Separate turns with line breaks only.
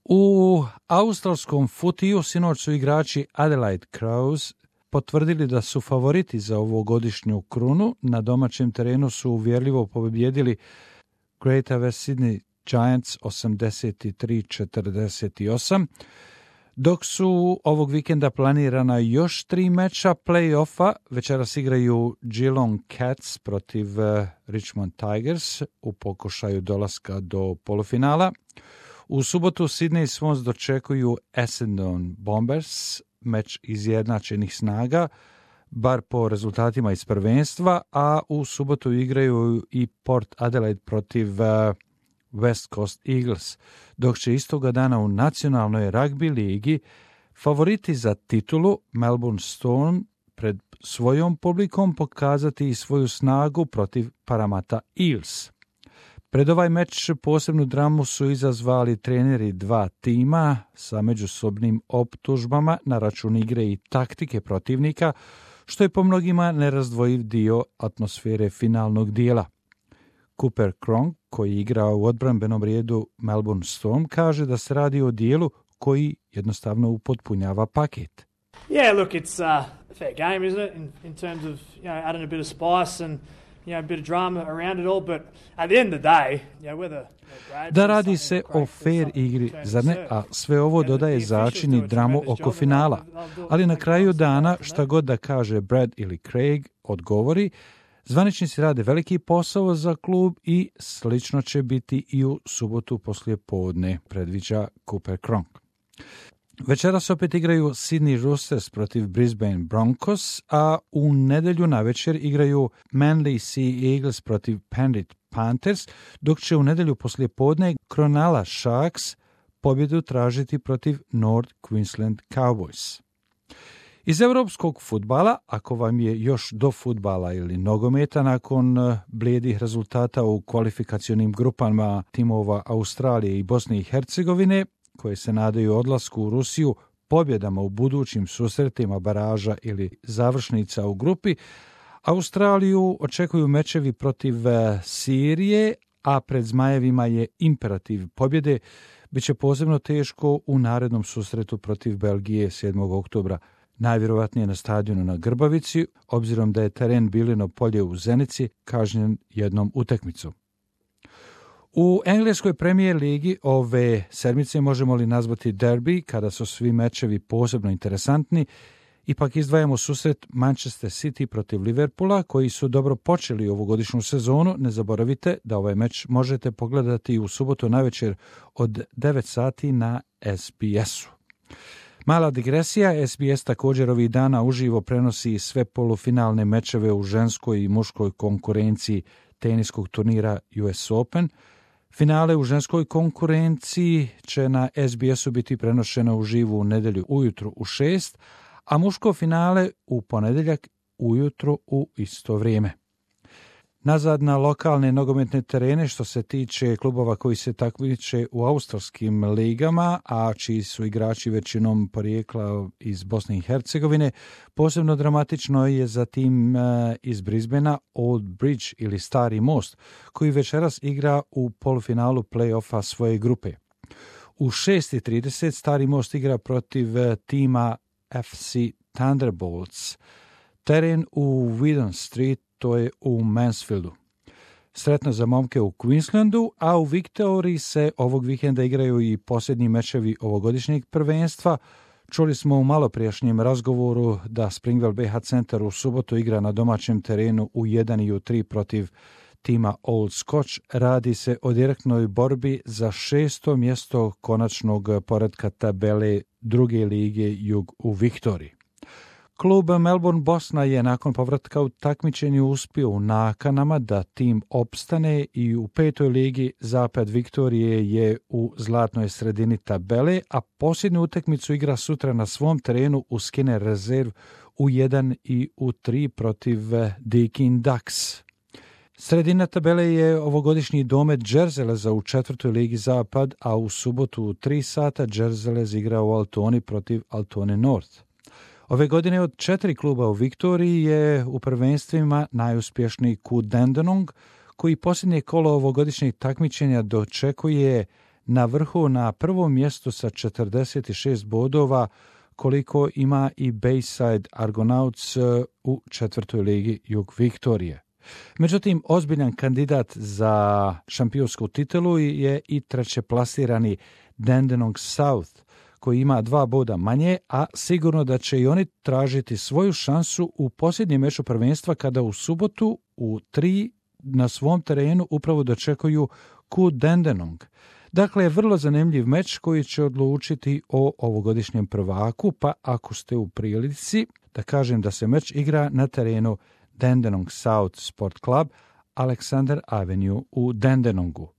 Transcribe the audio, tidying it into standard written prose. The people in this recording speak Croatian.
U australskom futiju sinoć su igrači Adelaide Crows potvrdili da su favoriti za ovogodišnju krunu. Na domaćem terenu su uvjerljivo pobjedili Greater West Sydney Giants 83-48, dok su ovog vikenda planirana još 3 meča play-offa. Večeras igraju Geelong Cats protiv Richmond Tigers u pokušaju dolaska do polufinala. U subotu Sydney Swans dočekuju Essendon Bombers, meč izjednačenih snaga, bar po rezultatima iz prvenstva, a u subotu igraju i Port Adelaide protiv West Coast Eagles, dok će istoga dana u nacionalnoj ragbi ligi favoriti za titulu Melbourne Storm pred svojom publikom pokazati svoju snagu protiv Parramatta Eels. Pred ovaj meč posebnu dramu su izazvali treneri dva tima sa međusobnim optužbama na račun igre i taktike protivnika, što je po mnogima nerazdvojiv dio atmosfere finalnog dijela. Cooper Cronk, koji igra u odbrambenom redu Melbourne Storm, kaže da se radi o dijelu koji jednostavno upotpunjava paket.
Yeah, look, it's a fair game, isn't it? In terms of, adding a bit of spice and a bit of drama around it all, but at the end of the day, whether
da radi se o fair igri, zar ne? A sve ovo dodaje začin i dramu oko finala. Ali na kraju dana, šta god da kaže Brad ili Craig, odgovori, zvaničnici rade veliki posao za klub i slično će biti i u subotu poslije podne, predviđa Cooper Cronk. Večeras opet igraju Sydney Roosters protiv Brisbane Broncos, a u nedjelju navečer igraju Manly Sea Eagles protiv Penrith Panthers, dok će u nedjelju poslije podne Cronulla Sharks pobjedu tražiti protiv North Queensland Cowboys. Iz europskog fudbala, ako vam je još do fudbala ili nogometa nakon blijedih rezultata u kvalifikacionim grupama timova Australije i Bosne i Hercegovine, koje se nadaju odlasku u Rusiju pobjedama u budućim susretima baraža ili završnica u grupi, Australiju očekuju mečevi protiv Sirije, a pred Zmajevima je imperativ pobjede. Biće posebno teško u narednom susretu protiv Belgije 7. oktobra, najvjerojatnije na stadionu na Grbavici, obzirom da je teren Bilino polje u Zenici kažnjen jednom utakmicom. U engleskoj premijer ligi ove sedmice možemo li nazvati derbi, kada su svi mečevi posebno interesantni, ipak izdvajamo susret Manchester City protiv Liverpoola, koji su dobro počeli ovogodišnju sezonu. Ne zaboravite da ovaj meč možete pogledati u subotu navečer od 9 sati na SBS-u. Mala digresija, SBS također ovih dana uživo prenosi sve polufinalne mečeve u ženskoj i muškoj konkurenciji teniskog turnira US Open. Finale u ženskoj konkurenciji će na SBS-u biti prenošeno uživo u nedjelju ujutro u 6, a muško finale u ponedjeljak ujutro u isto vrijeme. Nazad na lokalne nogometne terene što se tiče klubova koji se takmiče u australskim ligama, a čiji su igrači većinom porijekla iz Bosne i Hercegovine. Posebno dramatično je za tim iz Brisbanea Old Bridge ili Stari most, koji večeras igra u polufinalu play-offa svoje grupe. U 6:30 Stari most igra protiv tima FC Thunderbolts. Teren u Whedon Street, to je u Mansfieldu. Sretno za momke u Queenslandu, a u Viktoriji se ovog vikenda igraju i posljednji mečevi ovogodišnjeg prvenstva. Čuli smo u maloprijašnjem razgovoru da Springvale BH Centar u subotu igra na domaćem terenu u 1 i u 3 protiv tima Old Scotch. Radi se o direktnoj borbi za 6. mjesto konačnog poretka tabele druge lige Jug u Viktoriji. Klub Melbourne Bosna je nakon povratka u takmičenju uspio u nakanama da tim opstane i u 5. ligi Zapad Viktorije je u zlatnoj sredini tabele, a posljednju utakmicu igra sutra na svom terenu u Skinner Reserve u 1 i u 3 protiv Deakin Ducks. Sredina tabele je ovogodišnji domet Džerzeleza u 4. ligi Zapad, a u subotu u 3 sata Džerzelez igra u Altoni protiv Altone North. Ove godine od 4 kluba u Viktoriji je u prvenstvima najuspješniji KU Dandenong, koji posljednje kolo ovogodišnjeg takmičenja dočekuje na vrhu na prvom mjestu sa 46 bodova, koliko ima i Bayside Argonauts u 4. ligi Jug Viktorije. Međutim, ozbiljan kandidat za šampionsku titulu je i trećeplasirani Dandenong South, koji ima 2 boda manje, a sigurno da će i oni tražiti svoju šansu u posljednjem meču prvenstva kada u subotu u 3 na svom terenu upravo dočekuju Ku Dandenong. Dakle, vrlo zanimljiv meč koji će odlučiti o ovogodišnjem prvaku, pa ako ste u prilici, da kažem da se meč igra na terenu Dandenong South Sport Club, Alexander Avenue u Dandenongu.